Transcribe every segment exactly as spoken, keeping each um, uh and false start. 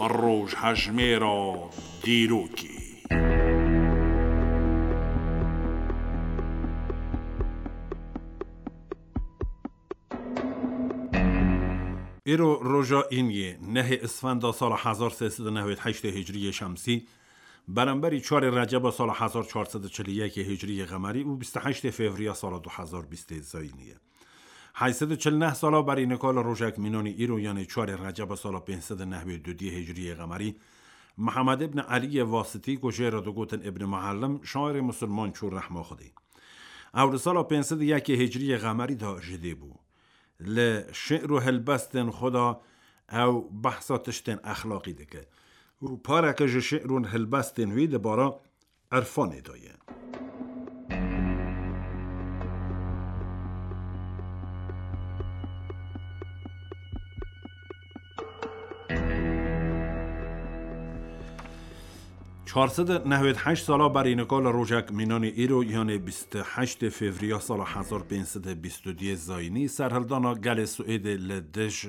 Rojhejmêra dîrokê. Îro roja îniyê, nehê Isfenda sala hezar sê sed û newêd heştê Hicriyê Şemsî, beramberî çarê Receba sala hezar çar sed û çil û yekê Hicriyê Qemerî û bîst û heştê Fevriya sala du hezar bîstê Zayînî ye. Heyt sed û çil neh sala berî nika li rojek mînanî îro, yanê çarê Receba sala pênc sed û newêd û duyê Hicriyê Qemerî, Mihemed îbn Eliyê Wasitî, ku jê re digotin Îbn Muellim, şairê misilman çû rehma Xwedê. Ew li sala pênc sed û yekê Hicriyê Qemerî de ji dê bû. Li şi'r û helbestên xwe de ew behsa tiştên exlaqî dike û pareke ji şi'r û helbestên wî di bara irfanê de ye. Çar sed û newêd heşt sala berî nika li rojek mînanî îro, yanê bîst û heştê Fevriya sala hezar pênc sed û bîst û duyê Zayînî, serhildana gelê Swêdê li dij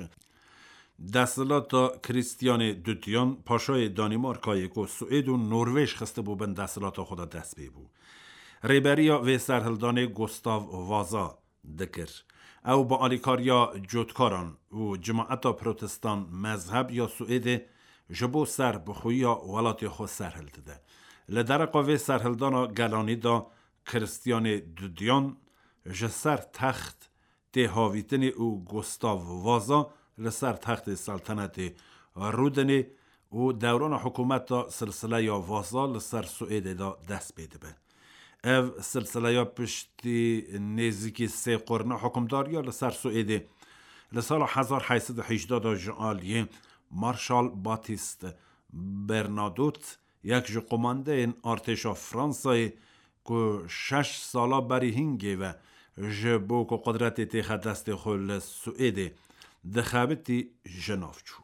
desthilata Kristiyanê Dudiyan, paşayê Danîmarkayê, ku Swêd û Norvêj xistibû bin desthilata xwe de, dest pê bû. Rêberiya vê serhildanê Gustav Vaza dikir. Ew bi alîkariya cotkaran û cimaeta protestan mezheb ya Swêdê ji bo serbixweyiya welatê xwe serhildide. Li dereqa vê serhildana gelanî de Kristiyanê Dudiyan ji ser text tê havîtinê û Gustav Vaza li ser textê seltenetê rûdinê û dewrana hikûmeta silsileya Vaza li ser Swêdê de dest pê dibe. Ev silsileya piştî nêzîkî sê qurna hikûmdariya li ser Swêdê li sala hezar heyt sed û hejdeh de ji aliyê Marşal Batîst Bernadotte, yek ji qomandeyên artêşa Fransayê, ku şeş sala berî hingê ve ji bo ku qudretê têxe destê xwe li Swêdê dixebitî, ji nav çû.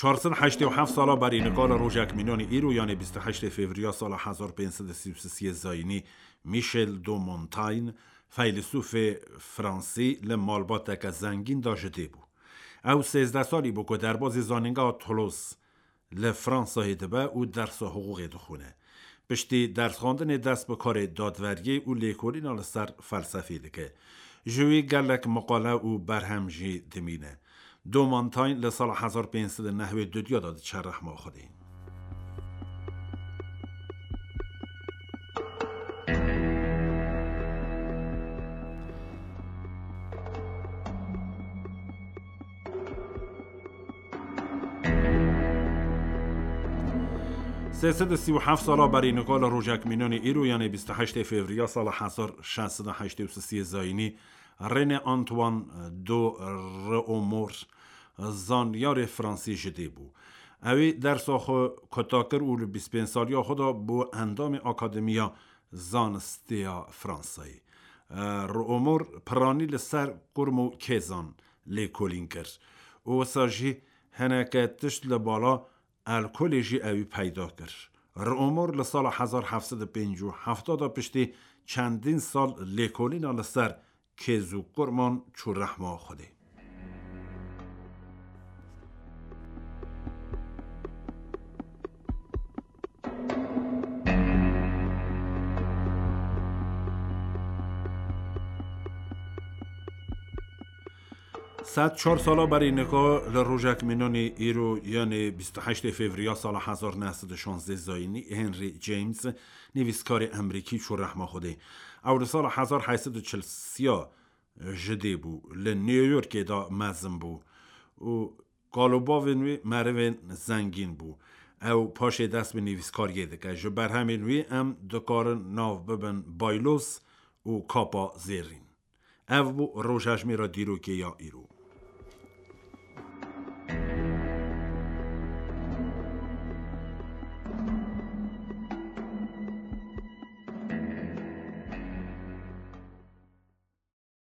Çar sed heştê û heft sala berî nika li rojek mînanî îro, yanê bîst û heştê Fevriya sala hezar pênc sed û sî û sê Zayînî, Michel de Montaigne, feylesûfê fransî, li malbateke zengîn de ji dê bû. Ew sêzdeh salî bû ku derbazî zanîngeha Toulouse li Fransayê dibe û dersa hiqûqê dixwîne. Piştî dersxwendinê dest bi karê dadweriyê û lêkolîna li ser felsefê dike. Ji wî gelek meqale û berhem jî dimîne. De Montaigne li sala hezar pênc sed û newêd û duya de diçe rehma Xwedê. Sê sed û sî û heft sala berî nika li rojek mînanê îro, yanê bîst û heştê Fevriya sala hezar şeş sed û heştê û sê Zayînî, René Antoine de Réaumur, zanyarê fransî ji dê bû. Ew ê dersa xwe kuta kir û li bîst pênc saliya xwe de bû endamê Akademiya Zanistê ya Fransayê. Réaumur piranî li ser kurm û kêzan lêkolîn kir û wisa jî hineke tişt li bala alkolê jî ewî peyda kir. Réaumur li sala hezar heft sed û pêncî û heft de piştî çendîn sal lêkolîna li ser kêz û kurman çû rehma Xwedê. Sed çar sala berî nika li rojek mînanê îro, yanê bîst û heştê Fevriya sala hezar neh sed û şazdeh Zayînî, Henry James, nivîskarê Emerîkî çû rehma Xwedê. Ew li sala hezar heyt sed û çil sê ji dê bû, li New Yorkê de mezin bû û kal û bavên wî merivên zengîn bû. Ew paşê dest bi nivîskariyê dike. Ji berhemên wî em dikarin nav bibin Baylos û Kapa Zêrîn. Ev bû rojhejmêra dîrokê ya îro.